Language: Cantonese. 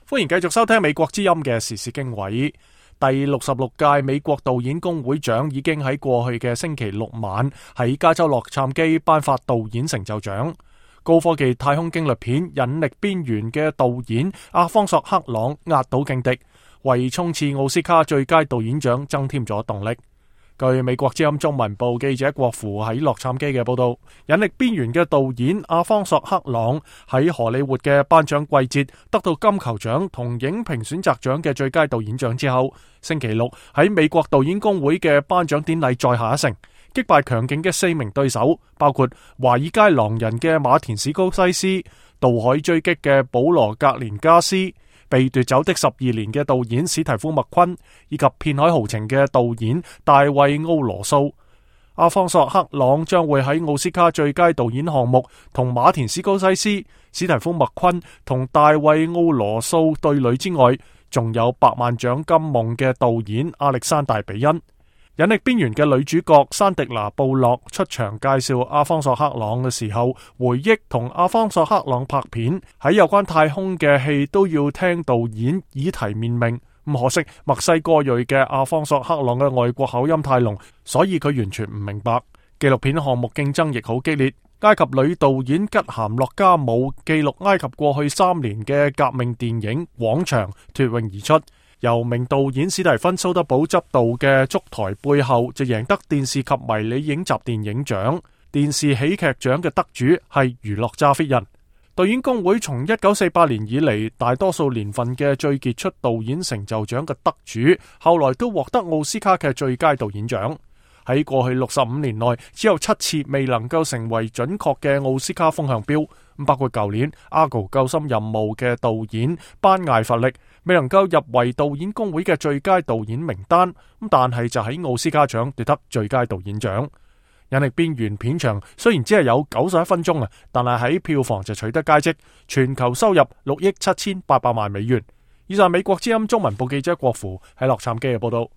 歡迎繼續收聽美國之音嘅時事經緯。第66屆美國導演工會獎已經喺過去嘅星期六晚喺加州洛杉磯頒發導演成就獎。高科技太空驚慄片《引力邊緣》嘅導演阿方索克朗壓倒勁敵，為衝刺奧斯卡最佳導演獎增添咗動力。據美國之音中文部記者郭芙喺洛杉磯嘅報道，《引力邊緣》嘅導演阿方索克朗喺荷里活嘅頒獎季節得到金球獎同影評選擇獎嘅最佳導演獎之後，星期六喺美國導演工會嘅頒獎典禮再下一城，擊敗強勁嘅4名對手，包括《華爾街狼人》嘅馬田史高西斯、《渡海追擊》嘅保羅格連加斯、被奪走的12年嘅導演史提夫麥昆，以及片海豪情嘅導演大衛奧羅素。阿方索克朗將會喺奧斯卡最佳導演項目同馬田史高西斯、史提夫麥昆同大衛奧羅素對壘之外，仲有百萬獎金夢嘅導演亞歷山大比恩。引力邊緣嘅女主角山迪拿布洛出場介紹阿方索克朗嘅時候，回憶同阿方索克朗拍片喺有關太空嘅戲都要聽導演以提面命。咁可惜墨西哥裔嘅阿方索克朗嘅外國口音太濃，所以佢完全唔明白。紀錄片項目競爭亦好激烈，埃及女導演吉咸洛加姆記錄埃及過去3年嘅革命電影《廣場》脫穎而出。由名導演史蒂芬蘇德堡執導嘅《燭台背後》就贏得電視及迷你影集電影獎。電視喜劇獎嘅得主係娛樂揸 fit 人。導演工會從1948年以嚟大多數年份嘅最傑出導演成就獎嘅得主，後來都獲得奧斯卡嘅最佳導演獎。喺過去65年內，只有7次未能夠成為準確嘅奧斯卡風向標，包括舊年《阿高救心任務》嘅導演班艾弗力未能夠入圍導演工會嘅最佳導演名單，但係就喺奧斯卡獎奪得最佳導演獎。引力邊緣片長雖然只係有91分鐘，但係喺票房就取得佳績，全球收入6億7800萬美元。以上美國之音中文部記者郭芙喺洛杉磯嘅報道。